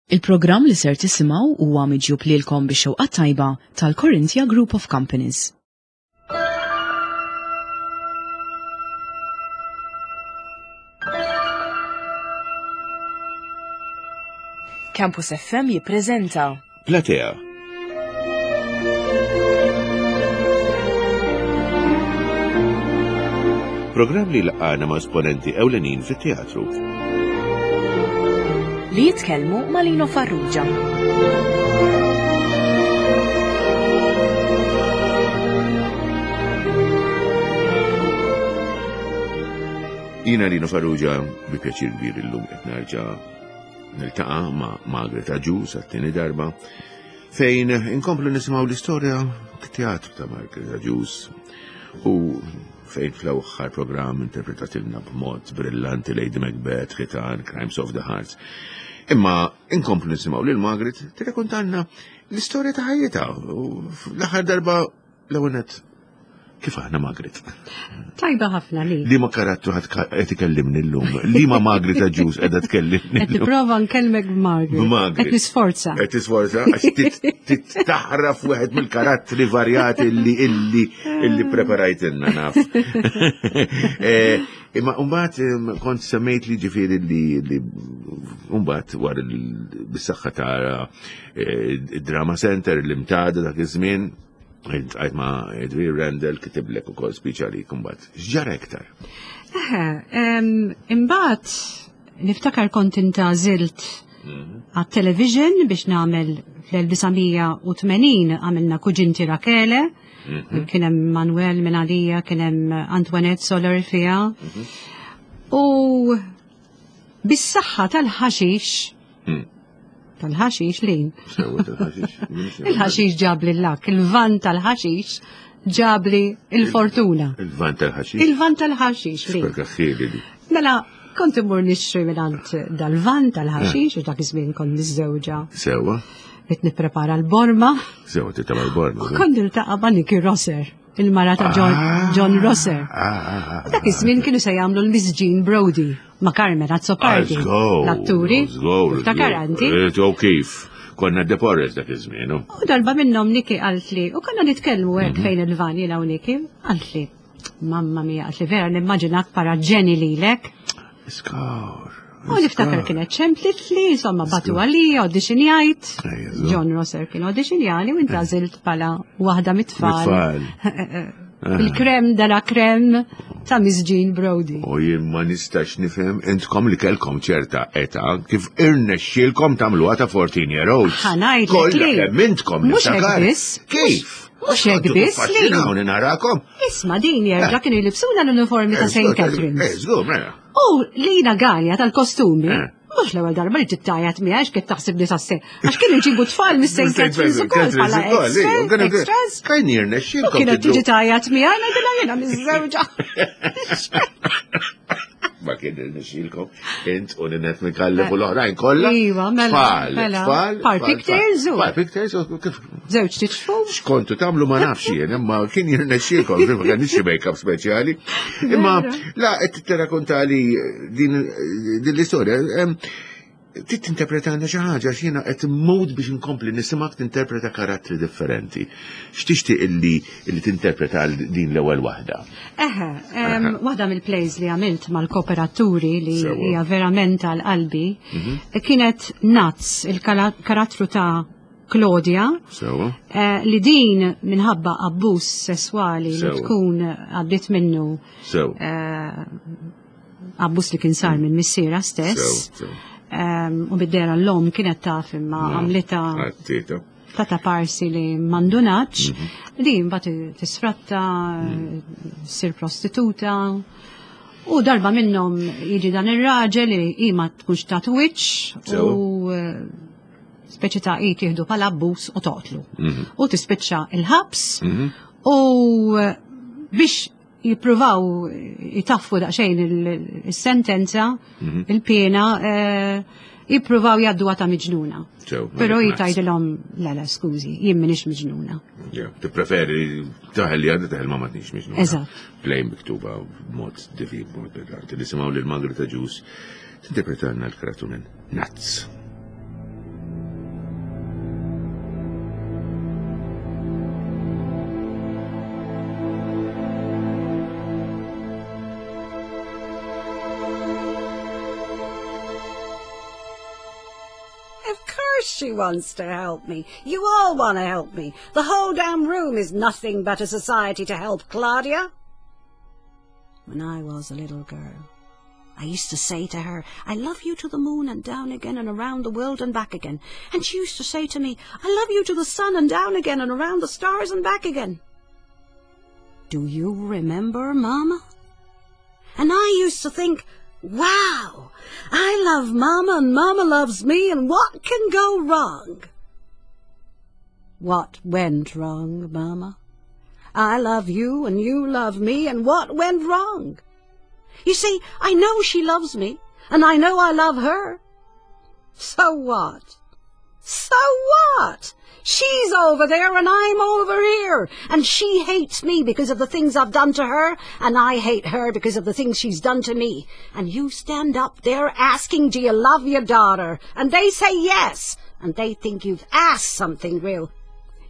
Il-programm li ser tisimgħu huwa miġjub lilkom bix-xewqa tajba tal-Corinthia Group of Companies. Campus FM jippreżenta Platea. Programm li laqgħana ma' esponenti ewlenin fit-teatru. Li jitkellmu ma' Lino Farrugia. Jina Lino Farrugia bi pjaċir kbir illum qed nerġa' Niltaqa' ma' Margaret Agius għat-tieni darba fejn inkomplu nisimgħu l-istorja teatru ta' Margaret Agius u fejn fl-aħħar programm interpretatilna b'mod brillanti Lady Macbeth, Ħitan, Crimes of the Hearts. Imma inkomplu nisimgħu lil Margaret tirrakontanna l-istorja ta' ħajjitha u l-aħħar darba L-ewwel nett, kif aħna Margaret? Tajba ħafna li. Li ma karattru ħadd qed ikellimni llum. Li ma Margaret Aġus qiegħda tkellimni. Qed nipprova nkellmek b'Margaret. B'Margaret. Qed nisforza. Qed tisforza għax taħraf wieħed mill-karattri varjati illi illi illi preparajtilna naf. Eh, imma mbagħad kont semmejt li ġifieri li li mbagħad wara bis-saħħa ta' eh, Drama Center li mtada dak iż-żmien Għajt ma' Edwin Randall kitiblek ukoll speech għalik imbagħad. X'ġara iktar? Eħe, imbagħad niftakar kont intażilt mhm. għat-television biex nagħmel fl-1980 għamilna Kuġinti Rakele, mhm. kien hemm Manuel minn għalija, kien hemm Antoinette Soler fiha. Mhm. U bis-saħħa tal-ħaxix hmm. Tal-ħaxix lin. Il-ħaxix ġabli l-lak, il-van tal-ħaxix ġabli il-fortuna. Il-van tal-ħaxix? Il-van tal-ħaxix lin. Mela, kont imur nixtri mingħand dal-van tal-ħaxix, u dak iż-żmien kont miżżewġa. Sewa. Qed nipprepara l-borma. Sewa, titgħamel l-borma. Kont niltaqa' ma' Nicky Rosser il-mara ta' John, ah, John Rosser. Ah, ah, Dak iż-żmien kienu se jagħmlu l-Miss Jean Brody ma' Carmen Azzopardi. L-atturi. Ftakar anti. Eh, u kif? Konna Deporres dak iż-żmien. U darba minnhom Niki qaltli, u konna nitkellmu hekk mhm. fejn il-van jiena u Niki, qaltli, mamma mia, qaltli vera nimmaġinak para ġeni lilek. Iskar. U niftakar kienet ċemplit li, insomma, batu għalija, auditionjajt. John Rosser kien auditionjali u intażilt pala waħda mit-tfal. Il-krem dala krem ta' Miss Jean Brody. U jien ma nistax nifhem intkom li kellkom ċerta età kif irnexxielkom tagħmluha ta' 14 year olds. Ħanajt Kollha kemm intkom Mhux hekk biss. Kif? Mhux hekk biss li. Narakom. Isma' din jerġa' kienu jlibsuna l-uniformi ta' St. Catherine's. Eh, żgur, mela. U Lina Galja tal-kostumi, eh. mhux l-ewwel darba li tittajat miegħi għax kien taħseb li tasse. Għax kienu jġibu tfal mis-St. Catherine's ukoll bħala extras. Kajn jirnexxielkom. Kienet tiġi tajat miegħi ngħidilha jiena miż-żewġa. Ma kien irnexxielkom int u Ninette Mikallef u l-oħrajn kollha. Iva, mela. Tfal, mela. tfal. Par pigtails u. Par pigtails u kif. Żewġ tiċfu. X'kontu tagħmlu ma nafx jien, imma kien jirnexxielkom, ma kienx xi make-up speċjali. Imma la qed tirrakontali din l-istorja. Trid tinterpretana xi ħaġa għax jiena qed immut biex inkompli nisimgħek tinterpreta karattri differenti. X'tixtieq illi illi tinterpreta din l-ewwel waħda? Eħe, waħda mill-plays li għamilt mal-kooperaturi li hija verament għal qalbi mhm. kienet Nuts, il-karattru ta' Claudia, eh, li din minħabba abbuż sesswali li tkun għaddiet minnu eh, abbuż li kien sar minn missiera stess. Ehm, u bid-dera l-om kienet taf imma għamlita ta' ta' parsi li mandunaċ, mhm. li mbagħad tisfratta, mm. sir prostituta. U darba minnhom jiġi dan ir-raġel li hi ma tkunx ta' wiċċ u eh, speċi ta' hi tieħdu bħala abbuż u toqtlu. Mhm. U tispiċċa il-ħabs mhm. u eh, biex jippruvaw jitaffu daqsxejn il-sentenza, mhm. il-pena, eh, jippruvaw jaddu ta' miġnuna. Pero jitajdilhom, la la, skużi, jien minix miġnuna. Tippreferi taħel li għadda taħel ma ma tnix miġnuna. Eżatt. Plejn miktuba b'mod divin, b'mod brillanti. Nisimgħu lil Margaret Ġus tinterpretanna l-karattru minn Nuts. Of course she wants to help me. You all want to help me. The whole damn room is nothing but a society to help Claudia. When I was a little girl, I used to say to her, I love you to the moon and down again and around the world and back again. And she used to say to me, I love you to the sun and down again and around the stars and back again. Do you remember, Mama? And I used to think, wow, I love Mama and Mama loves me and what can go wrong? What went wrong, Mama? I love you and you love me and what went wrong? You see, I know she loves me and I know I love her. So what? So what? She's over there and I'm over here. And she hates me because of the things I've done to her, and I hate her because of the things she's done to me. And you stand up there asking, do you love your daughter? And they say yes. And they think you've asked something real.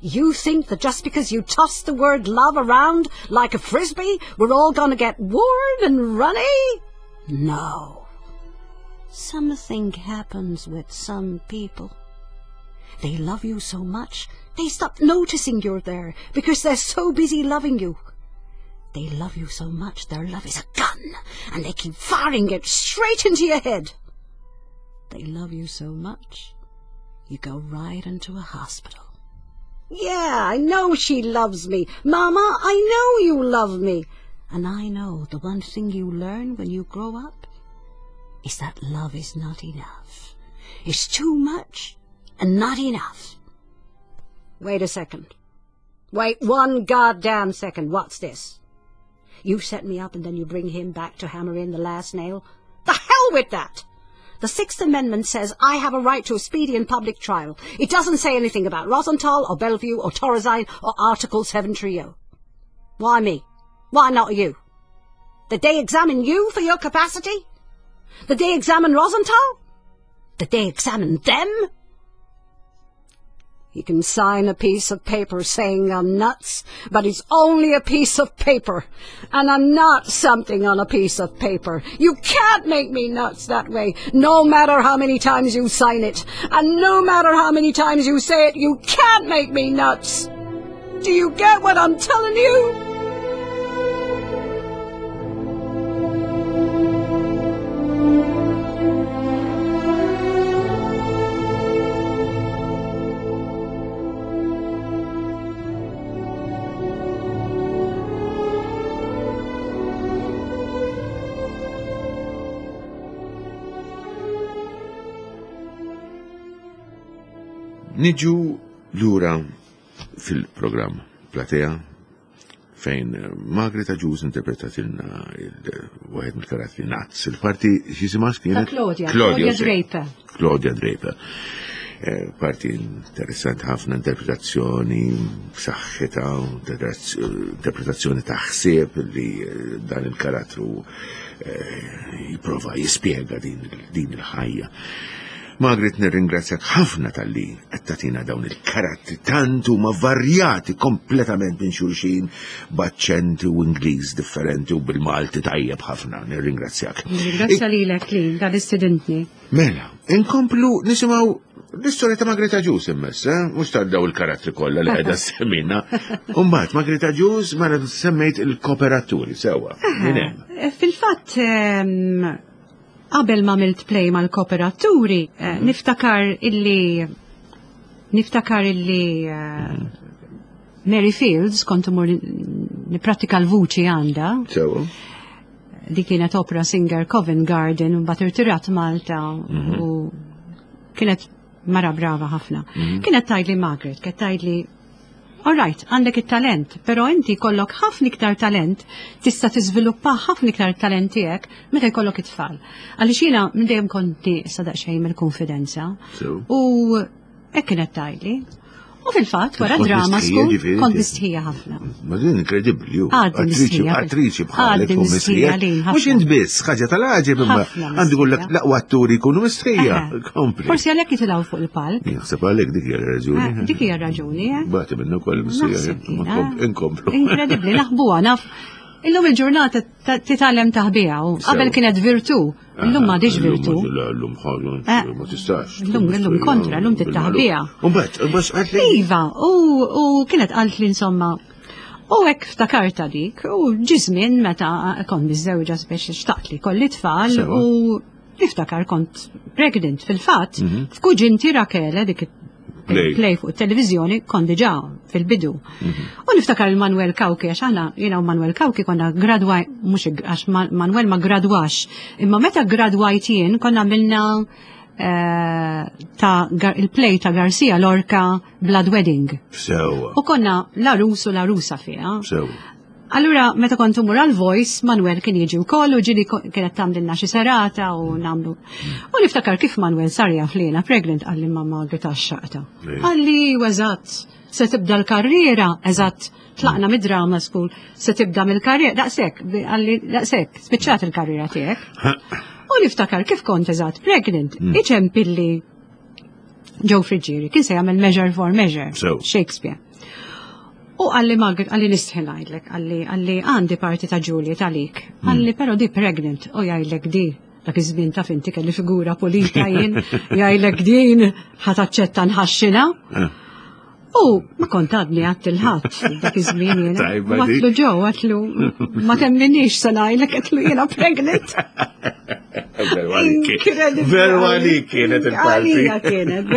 You think that just because you toss the word love around like a frisbee, we're all gonna get warm and runny? No. Something happens with some people. They love you so much, they stop noticing you're there because they're so busy loving you. They love you so much, their love is a gun, and they keep firing it straight into your head. They love you so much, you go right into a hospital. Yeah, I know she loves me. Mama, I know you love me. And I know the one thing you learn when you grow up is that love is not enough. It's too much and not enough. Wait a second. Wait one goddamn second. What's this? You set me up and then you bring him back to hammer in the last nail? The hell with that! The Sixth Amendment says I have a right to a speedy and public trial. It doesn't say anything about Rosenthal or Bellevue or Thorazine or Article 7 Trio. Why me? Why not you? Did they examine you for your capacity? Did they examine Rosenthal? Did they examine them? You can sign a piece of paper saying I'm nuts, but it's only a piece of paper. And I'm not something on a piece of paper. You can't make me nuts that way, no matter how many times you sign it. And no matter how many times you say it, you can't make me nuts. Do you get what I'm telling you? Niġu lura fil-programm Platea fejn eh, Margaret Agius interpretatilna wieħed mill-karattri Nazz. Il-parti x'jisimha kienet? Claudia. Claudia Draper. Claudia Draper. Eh, parti interessanti ħafna interpretazzjoni b'saħħitha, interpretazzjoni ta' ħsieb li eh, dan il-karattru jipprova jispjega din il-ħajja. Margaret nirringrazzjak ħafna talli qed tagħtina dawn il-karattri tant huma varjati kompletament minn xulxin b'aċċenti u Ingliż differenti u bil-Malti tajjeb ħafna. Nirringrazzjak. Nirringrazzja lilek li dan istidintni. Mela, inkomplu nisimgħu l-istorja ta' Margaret Agius immess, eh? Mhux ta' daw il-karattri kollha li qiegħda semmina. Umbagħad Margaret Agius mela semmejt il-kooperaturi sewwa. Min hemm? Eh, fil-fatt ehm, Qabel ma għamilt play mal-kooperaturi, eh, niftakar illi niftakar illi eh, Mary Fields kont imur niprattika l-vuċi għandha. Sewa. Di kienet opera singer Covent Garden u mbagħad irtirat Malta mhm. u kienet mara brava ħafna. Mhm. Kienet tgħidli Margaret, kienet tgħidli All right, għandek it-talent, però inti jkollok ħafna iktar talent, tista' tiżviluppa ħafna iktar talent tiegħek meta jkollok it-tfal. Għaliex jiena minn dejjem kont nieqsa daqsxejn mill-konfidenza. U hekk kienet tgħidli. U fil-fatt, wara drama school, kont mistħija ħafna. Ma din inkredibbli, ju. Attriċi, attriċi bħalek u mistħija. Mhux int biss, ħaġa tal-għaġeb imma għandu jkollek l-aqwa atturi jkunu mistħija. Kompli. Forsi għalhekk jitilgħu fuq il-palk. Jaħseb għalhekk dik hija raġuni. Eh, dik hija raġuni, eh. Bati minnu wkoll mistħija. Inkomplu. Inkredibbli, naħbuha naf. Illum il-ġurnata titgħallem taħbiha u qabel kienet virtu, illum m'għadix virtu. Illum ħaġa eh, ma tistax. Illum illum kontra, illum tittaħbiha. U mbagħad, mbagħad qalt li. Iva, u kienet qalt li insomma U hekk ftakarta dik, u ġi żmien meta kont miżżewġa speċi xtaqt li kolli tfal u Niftakar kont pregnant fil-fatt, mhm. f'kuġinti Rakele dik play fuq it-televizjoni kont diġà fil-bidu. Mhm. U niftakar il-Manuel Kawki, għax aħna jiena u Manuel Kawki konna gradwaj, mhux għax Manuel ma gradwax, imma meta gradwajt jien konna għamilna eh, ta' il-play ta' Garcia Lorca Blood Wedding. Sewa. U konna la Rus u la Rusa fiha. Sewa. Allura, meta kont umur għal voice, Manuel kien jiġi wkoll u ġili kienet tagħmlilna xi serata u nagħmlu. U niftakar kif Manuel sar jaf li jiena pregnant qalli mamma Greta xaqta. Qalli eżatt, se tibda l-karriera, eżatt, tlaqna mid-drama school, se tibda mill-karriera, daqshekk, qalli daqshekk, spiċċat il-karriera tiegħek. U niftakar kif kont eżatt pregnant, mm. iċempilli Joe Friggieri, kien se jagħmel Measure for Measure, Shakespeare. U għalli Margaret, għalli nistħi ngħidlek, għalli għalli għandi parti ta' Juliet għalik. Hmm. Għalli però di pregnant, u jgħidlek di dak iż-żmien taf inti kelli figura pulita jien, jgħidlek din ħa taċċetta nħaxxina. Eh. U ma kont għadni għat il-ħadd dak iż-żmien jien. Għatlu ġew, għatlu ma temminix se ngħidlek għatlu jiena pregnant. Veru għalik kienet il-parti. Għalija kienet.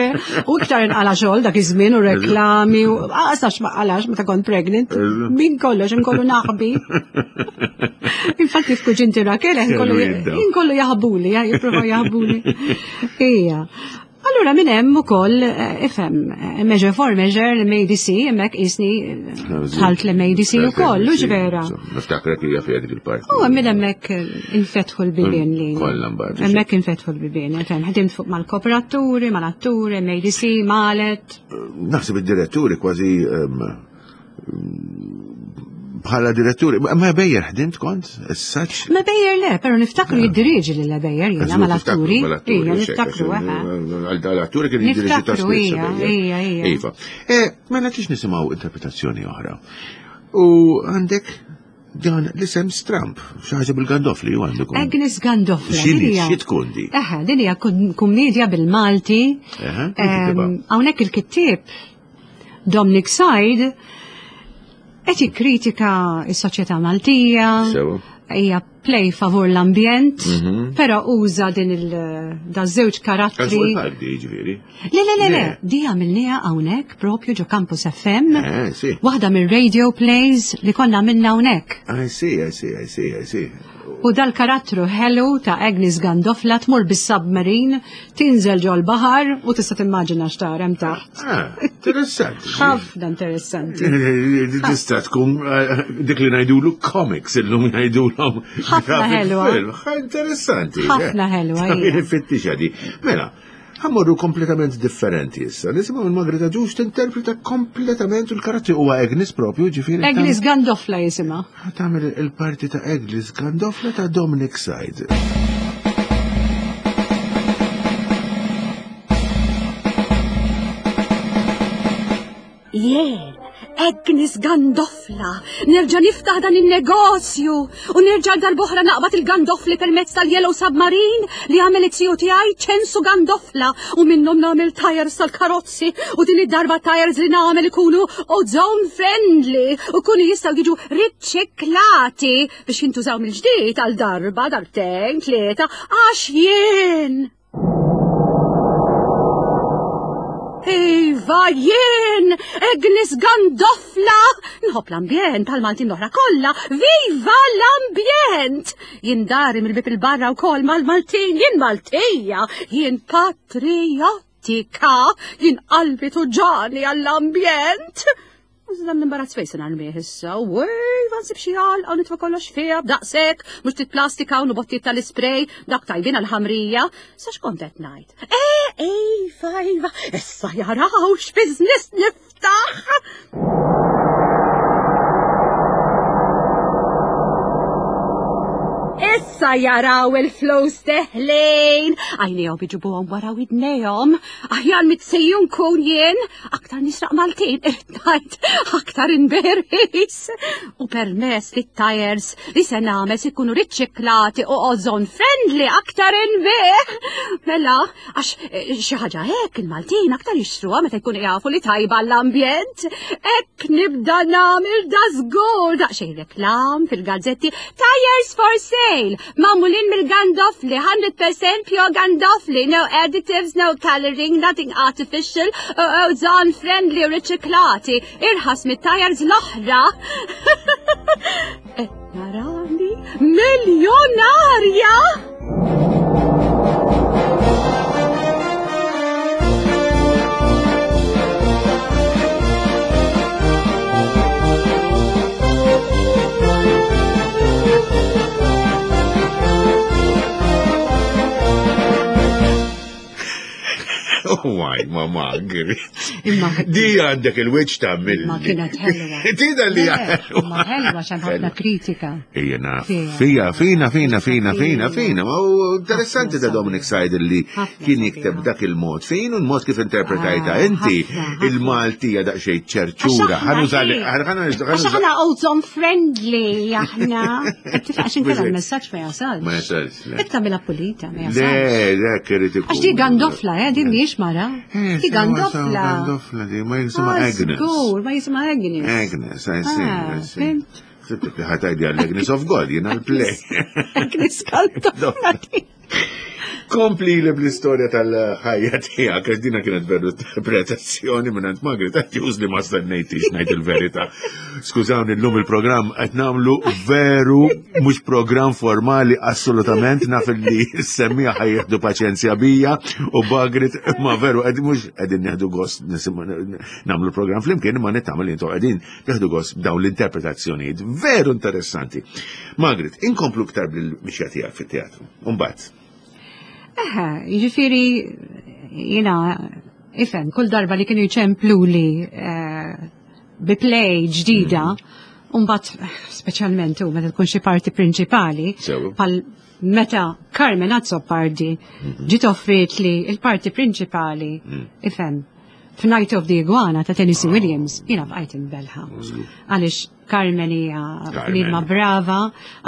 U iktar inqala xogħol dak iż-żmien u reklami u għasax ma qalax meta kont pregnant. Min kollox inkollu naħbi. Infatti f'kuġinti Rakel inkollu jaħbuli, jipprova jaħbuli. Ija. Allura minn hemm ukoll eh, ifhem eh, measure for measure l-MADC hemmhekk qisni eh, dħalt l-MADC ukoll, hux vera. Niftakrek hija fiha dik il-parti. U minn hemmhekk infetħu l-bibien li. Kollha mbagħad. Hemmhekk infetħu l-bibien, ifhem ħdimt fuq mal-kooperaturi, mal-atturi, MADC, Malet. Naħseb id-diretturi kważi ehm, bħala diretturi, ma bejjer ħdimt kont, saċ? Ma bejjer le, pero niftakru jiddirieġi li bejjer jiena mal-atturi. Ija, niftakru, Għal-atturi kien jiddirieġi ta' spissa. Ija, ija. Iva. E, mela tix nisimaw interpretazzjoni oħra. U għandek dan l-isem Stramp, xaħġa bil-Gandofli u għandu. Agnes Gandofli. Xini, xi tkun di? Eħe, din hija kumedja bil-Malti. Hawnhekk il-kittieb Dominic Said qed jikkritika s-soċjetà Maltija. Hija play favur l-ambjent, mhm. però uża din il da żewġ karattri. Ġifieri. Le le le le, di għamilniha hawnhekk propju ġo Campus FM. Eh, Waħda mir-radio plays li konna għamilna hawnhekk. I see, I see, I see, I see. U dal-karattru ħelu ta' Agnes Gandofla tmur bis-submarine, tinżel ġol-baħar u tista' timmaġina x'tara hemm taħt. Ah, interessanti. Ħafna interessanti. Tista' tkun eh, dik li ngħidulu comics illum jgħidulhom. Ħafna ħelwa. Interessanti. Ħafna ħelwa. Fittixha di. Mela, Ħammorru kompletament differenti issa. Nisimgħu minn Margarita Ġux tinterpreta kompletament il-karattru huwa Agnes propju, ġifieri. Agnes Gandofla jisimha. Tagħmel il-parti ta' Agnes Gandofla ta' Dominic Said. Jien, Agnes Gandofla, nerġa' niftaħ dan in-negozju u nerġa' darb'oħra naqbad il-gandofli permezz tal-Yellow Submarine li għamel it-tiju tiegħi Ċensu Gandofla u minnhom nagħmel tires tal-karozzi u din id-darba tires li nagħmel ikunu ozone friendly u kunu jistgħu jiġu riċiklati biex jintużaw mill-ġdid għal darba, darbtejn, tlieta, għax jien Iva, jien, Agnes Gandofla, nħobb l-ambjent bħal-Maltin l-oħra kollha, viva l-ambjent! Jien dari mill-bib il-barra wkoll mal-Maltin, jien Maltija, jien patriottika, jien qalbi tuġani għall-ambjent. Iżda l-imbarazz fejn se narmih issa, u iva nsib xi għalqa u nitfa' kollox fiha b'daqshekk, mhux ftit plastika u bottijiet tal-ispray, dak tajbin għall-ħamrija. Sa x'kont qed ngħid? Eh, iva, iva, issa jaraw x'business niftaħ! Issa jaraw il-flus deħlin! Għajnejhom iġibuhom wara widnejhom. Aħjar mitsejjun kun jien, aktar nisraq Maltin, irrid ngħid, aktar inberħis. U permess li t-tires li se nagħmel se jkunu riċiklati u ozone friendly aktar inbih. Mela, għax eh, xi ħaġa hekk il-Maltin aktar jixtruha meta jkunu jafu li tajba l-ambjent. Hekk nibda nagħmel da żgur daqsxejn reklam fil-gazzetti Tires for sale, magħmulin mill-gandofli, 100% pure gandofli, no additives, no coloring, nothing artificial, ozone friendly u riċiklati, irħas mit-tires l-oħra. Qed narani miljonarja! Waj, ma magri. Imma Di għandek il-wiċ ta' mill. Ma kienet ħelwa. Tida li Ma ħelwa xan ħafna kritika. Ejja naf. Fija, fina, fina, fina, fina, fina. Ma u interessanti ta' Dominic Said li kien jikteb dak il-mod. Fin u l-mod kif interpretajta ah, inti il-Maltija daqsxejn ċerċura. Għax aħna ozone friendly aħna. Għax inkella l-messaġġ ma jasalx. Ma jasalx. Iktar mela pulita, ma jasalx. Le, le, kirrid ikun. Għax di gandofla, eh, di mhijiex mara. Eh, di gandofla. Gandofla di, ma jisma ah, Agnes. Żgur, ma jisma Agnes. Agnes, I see, I ah, see. Sibtek li ħatajdi għall-Agnes of God, jina l-play. Agnes gandofla di. Kompli li bl-istorja tal-ħajja tiegħek, għax dina kienet veru interpretazzjoni minn għand Margaret Agius li ma stennejtix ngħid il-verità. Skużawni llum il-programm qed nagħmlu veru mhux programm formali assolutament naf li semmija ħajjeħdu paċenzja bija u Margaret ma veru qed mhux qegħdin nieħdu gost nagħmlu programm flimkien imma nittama li intom qegħdin nieħdu gost dawn l-interpretazzjonijiet veru interessanti. Margaret, inkomplu iktar bil-mixja tiegħek fit-teatru. Umbagħad. Eħe, jiġifieri jiena ifhem kull darba li kienu jċempluli eh, bi play ġdida, mm. Umbat, speċjalment u meta tkun xi parti prinċipali, pal meta Carmen Azzopardi mhm. ġiet offrit li il-parti prinċipali, mm. ifhem, f'Night of the Iguana ta' Tennessee ah. Williams, jiena bqajt imbelħa. Għaliex Carmen hija bniedma brava,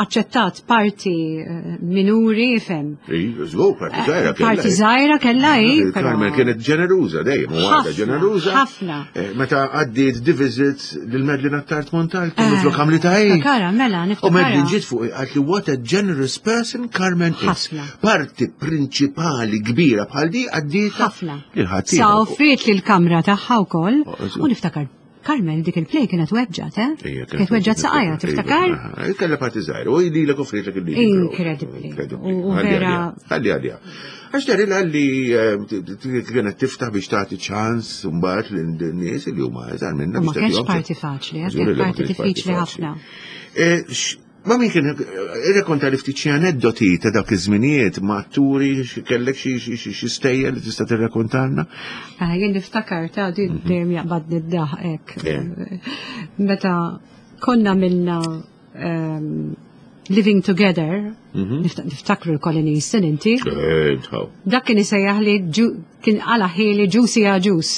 aċċettat parti eh, minuri, fem. Żgur, parti żgħira kellha. Parti żgħira kellha hi. Carmen kienet ġeneruża dejjem, u għadha ġeneruża. Ħafna. Eh, meta għaddiet di visit lil Medlin Attard Montalto eh, flok għamlita hi. Kara, mela, U Medlin ġiet fuq qalt li what a generous person Carmen is. Parti prinċipali kbira bħal di għaddiet. Ħafna. Sa offriet li l-kamra tagħha wkoll oh, u niftakar Carmel dik il-play kienet weġġat, eh? Kienet weġġat saqajja, tiftakar? Kella parti żgħira, u li l offritlek il Inkredibbli. U vera. Ħalli għalija. Għax dari li eh, kienet tiftaħ biex tagħti ċans mbagħad lin-nies li huma iżgħar minna. Ma kienx parti faċli, eh, kienet parti diffiċli ħafna. Eh, Ma min kien irrekonta li ftit xi aneddoti ta' dak iż-żminijiet ma' atturi kellek xi stejjer li tista' tirrekontalna? Ah, jien niftakar ta' din mhm. dejjem jaqbadni d-daħ hekk. Eh. Meta konna minna ehm, Living Together, mhm. niftakru l-Colin Easton inti. Eh, dak kien isejjaħ li kien għala ħili ġusi għaġus.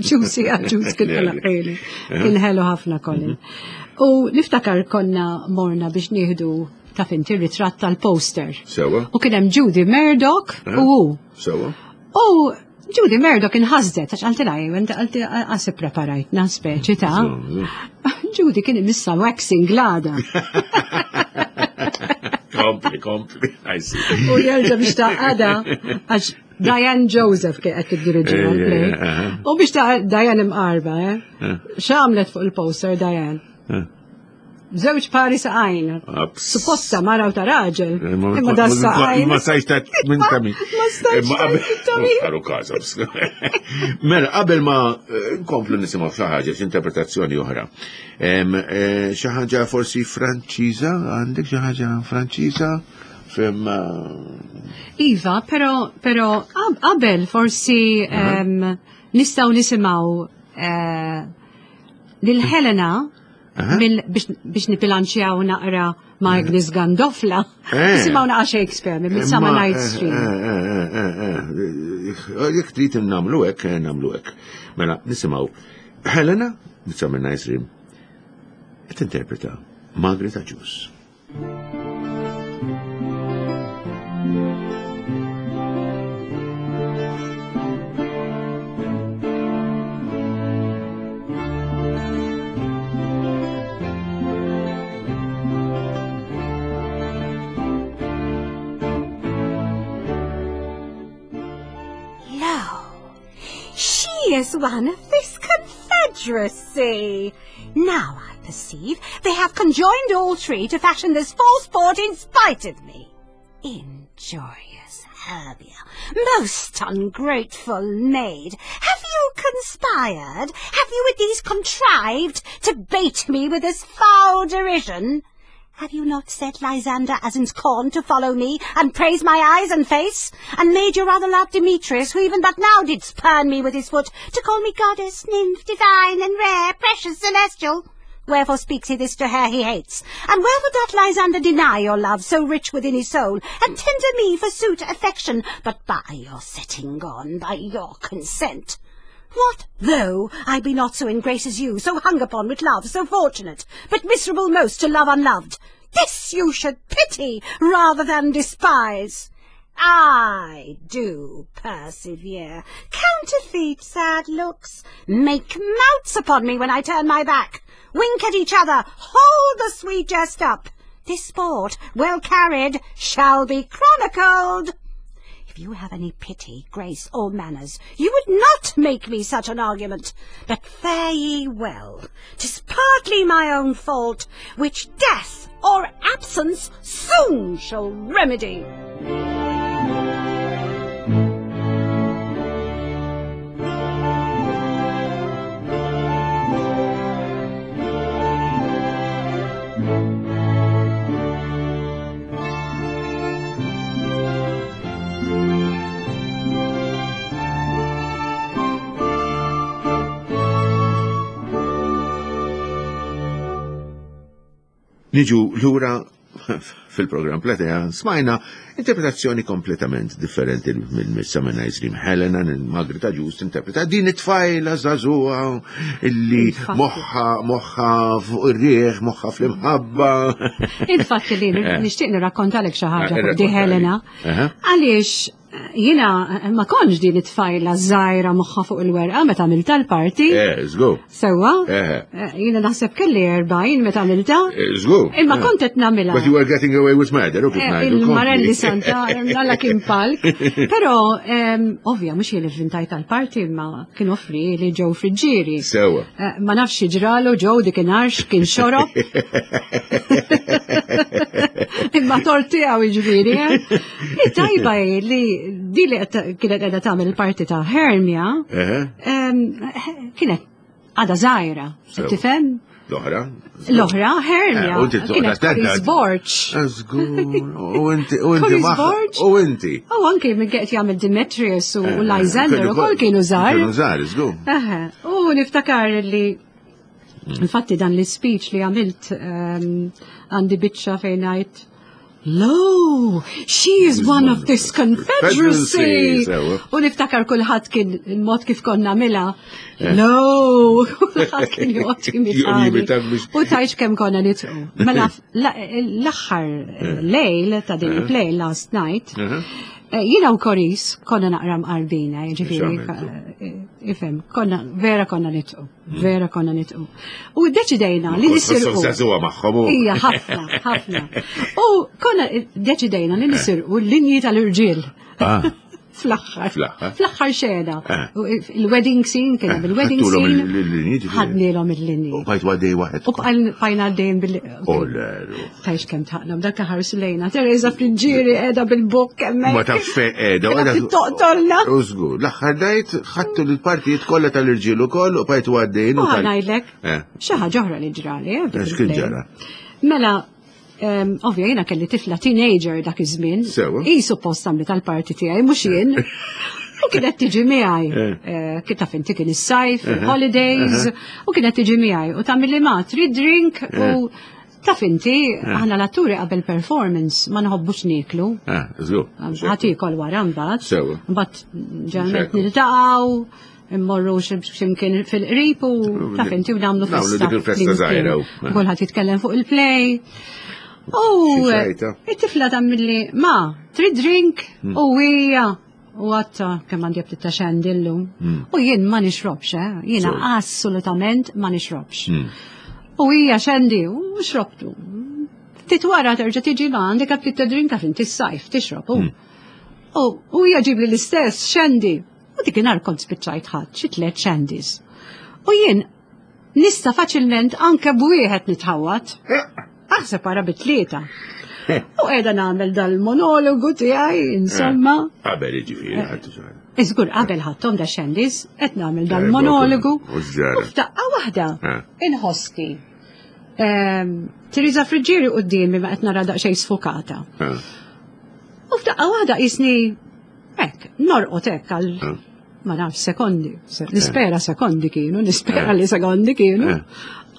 Ġusi għaġus kien għala ħili. Kien ħelu ħafna Colin. Mhm. U niftakar konna morna biex nieħdu ta' finti ritratt tal-poster. Sewa. U kien hemm Judy Murdoch u hu. Sewa. U Judy Murdoch inħasdet għax qaltilha inti qalti qas ippreparajtna speċi ta' Judy kien imissa waxing l-għada. Kompli, kompli, I see. U jerġa' biex ta' għada għax Diane Joseph kien qed tiddiriġi l-play. U biex ta' Diane imqarba, eh? X'għamlet fuq il-poster Diane? Żewġ pari saqajn. Supposta mara u ta' raġel. Eh, imma da saqajn. Ma sajx ta' minn ta' min. Ma stajx ta' min. Karu każ. Mela, qabel ma eh, nkomplu nisimgħu xi ħaġa, interpretazzjoni oħra. Eh, xi ħaġa forsi Franċiża, għandek xi ħaġa Franċiża? Fem. Iva, pero pero qabel forsi nistgħu nisimgħu lil Helena biex nibilanċjaw naqra ma' Agnes Gandofla. Eh. Nisimgħu naqa' Shakespeare minn Midsummer Night's eh, Dream. Eh, jekk trid nagħmlu hekk, nagħmlu hekk. Mela, nisimgħu Helena, Midsummer Night's Dream, qed interpreta Margaret Agius. She is one of this confederacy. Now I perceive they have conjoined all three to fashion this false sport in spite of me. Injurious Hermia, most ungrateful maid, have you conspired, have you with these contrived to bait me with this foul derision? Have you not set Lysander as in scorn to follow me, and praise my eyes and face, and made your other love Demetrius, who even but now did spurn me with his foot, to call me goddess, nymph, divine, and rare, precious, celestial? Wherefore speaks he this to her he hates? And wherefore doth Lysander deny your love, so rich within his soul, and tender me for suit affection, but by your setting on, by your consent? What though I be not so in grace as you, so hung upon with love, so fortunate, but miserable most to love unloved? This you should pity rather than despise. I do persevere, counterfeit sad looks, make mouts upon me when I turn my back, wink at each other, hold the sweet jest up. This sport, well carried, shall be chronicled. If you have any pity, grace, or manners, you would not make me such an argument. But fare ye well, 'tis partly my own fault, which death or absence soon shall remedy. Niġu lura fil-programm Platea smajna interpretazzjoni kompletament differenti minn Midsummer Night's Dream. Helena Margaret Agius interpreta din it-tfajla żagħżugħa illi moħħa moħħa fuq ir-rieħ, moħħa fl-imħabba. Infatti li eh. nixtieq nirrakkontalek xi ħaġa eh, fuq di Helena. Għaliex Jiena ma kontx din it-tfajla żgħira moħħa fuq il-werqa meta għamilta l-parti. Eh, żgur. Sewwa? Eh. eh. Jiena naħseb kelli 40 meta għamilta. Eh, żgur. Imma kont qed nagħmilha. But you were getting away with murder, u kif ngħidu. Il-Marelli Santa, alla kien palk. Però ovvja mhux jien ivvintajt tal-parti imma kien offri li ġew friġġieri. Sewwa. Ma nafx ġralu ġew dik inarx kien xorob. Imma tort tiegħu jiġifieri. Tajba hi li di li kienet qiegħda tagħmel il-parti ta' Hermia kienet għada żgħira, tifhem? L-oħra? L-oħra, Hermia. Eh, kienet Chris Borch. U inti, u inti, U inti. U anki minn qed jagħmel Demetrius u eh, Lysander ukoll kienu żgħar. Kienu żgħar, żgur. U niftakar li Infatti dan l-speech li għamilt ehm, għandi biċċa fejn ngħid Lo, she is one of this confederacy. U niftakar kulħadd kien il-mod kif konna mila. Eh. Lo, kulħadd kien joqgħod jimitani. U tajx kemm konna nitqu. Mela l-aħħar eh. lejl ta' din eh. il-play last night, jiena u Koris konna naqra mqarbina, jiġifieri ifhem, konna vera konna nitqu. Vera konna nitqu. U deċidejna li nisirqu. Zazuwa magħhom. Ija, ħafna, ħafna. U konna deċidejna li nisirqu l-linji tal-irġiel. Ah. Fl-aħħar. Fl-aħħar xena. Eh. Il-wedding scene kien hemm il-wedding scene. Ħadnielhom il-linji. U bajt għaddej waħed. U bqajna għaddejn bil. Tajx kemm taqlom dak ħarsu lejna. Teresa Friġġieri qiegħda bil-bokk hemmhekk. Ma taf fejn qiegħda. Qiegħda toqtolna. U żgur, l-aħħar dajt ħadtu l-partijiet kollha tal-irġiel ukoll u bqajtu għaddejn. U ngħidlek eh. xi ħaġa oħra li ġrali. Eh, x'kien ġara? Mela, ovvja jiena kelli tifla teenager dak iż-żmien. Hi suppost għamlet tal-parti tiegħi mhux jien. U kienet tiġi miegħi. Eh. Kif taf inti kien is-sajf, holidays, u kienet tiġi miegħi u tagħmel li ma trid drink u. Taf inti, eh. aħna l-atturi qabel performance ma nħobbux nieklu. Eh, żgur. Ħadd iekol wara mbagħad. Sewa. Mbagħad ġeneralment niltaqgħu, immorru x'imkien fil-qrib u taf inti u nagħmlu festa. Nagħmlu dik il-festa żgħira. Eh. Kulħadd jitkellem fuq il-play. U it-tifla tagħmilli ma, trid drink hmm. u hija U għatta kemm għandi ftit ta' xendi llum. Hmm. U jien ma nixrobx, eh? Jiena assolutament ma nixrobx. Hmm. U hija xendi u xrobtu. Ftit wara terġa' tiġi ma għandek ftit ta' drink għax inti s-sajf tixrob. Hmm. U hija ġibli l-istess xendi. U dik inhar kont spiċċajt ħadd xi tliet xendis. U jien nista' faċilment anke b'wieħed nitħawat. Aħseb ara bit-tlieta. U qiegħda nagħmel dal-monologu tiegħi, insomma. Eh, qabel jiġifieri eh. ħadd Iżgur qabel ħadthom da xendis, qed nagħmel eh, dal-monologu. U f'daqqa waħda inħossni. Ehm, Teresa Friġġieri qudiemi ma qed nara daqsxejn sfokata. U f'daqqa waħda qisni hekk, norqod hekk għal ma nafx sekondi, nispera sekondi kienu, nispera li sekondi kienu.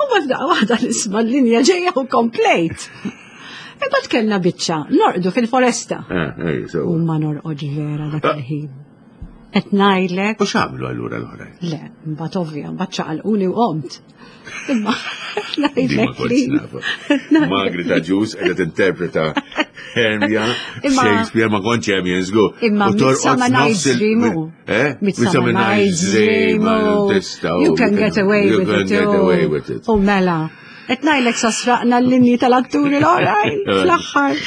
U ma f'daqqa waħda nisma' l-linja ġejja u komplejt. Imbagħad kellna biċċa, norqdu fil-foresta. U ma norqodx vera dak ah. il-ħin. Qed ngħidlek. U x'għamlu allura l-oħrajn? Le, mbagħad ovvja, mbagħad ċaqalquni u qomt. Imma ngħidlek li. Margaret Agius qiegħda tinterpreta Hermia Shakespeare ma kontx hemm jien żgur. Imma Midsummer Night's Dream. Eh? Midsummer Night's Dream. You can get away with it. You can get away with it. U mela. Qed ngħidlek sasraqna l-linji tal-atturi l-oħrajn fl-aħħar.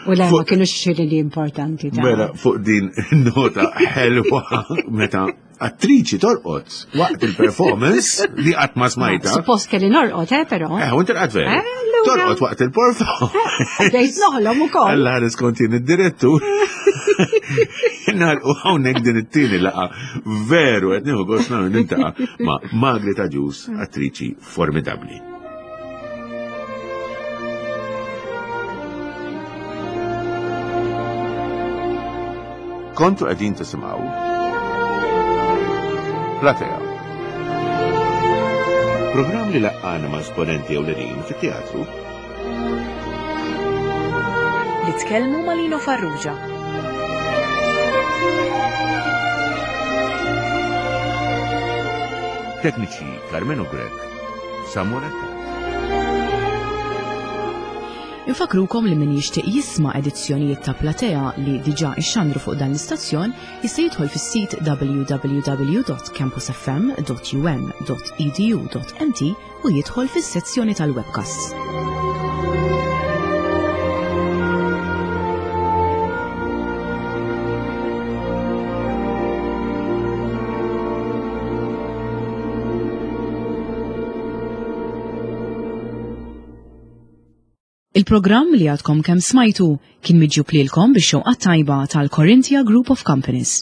U le ma kienux xi linji importanti ta' Mela fuq din nota ħelwa meta attriċi torqod waqt il-performance li qatt ma smajta. Suppost kelli norqod, eh, però. Eh, u inti rqad veru. Eh, torqod waqt il-performance. Eh, bdejt noħlom ukoll. Alla ħares kont jien id-direttur. Nagħlqu hawnhekk din it-tieni laqa veru qed nieħu gost nintaqa' ma' Margaret Agius, attriċi formidabbli. Kontu qegħdin tisimgħu Platea. Programm li laqqana ma' esponenti ewlenin fit-teatru. Li tkellmu ma' Lino Farrugia. Tekniċi Carmenu Grech, Samuel Attard. Infakrukom li min jixtieq jisma' edizzjonijiet ta' Platea li diġà ixxandru fuq dan l-istazzjon jista' jidħol fis-sit www.campusfm.um.edu.mt u jidħol fis-sezzjoni tal-webcasts. Il-programm li għadkom kemm smajtu kien miġjub lilkom bix-xewqa tajba tal-Corinthia Group of Companies.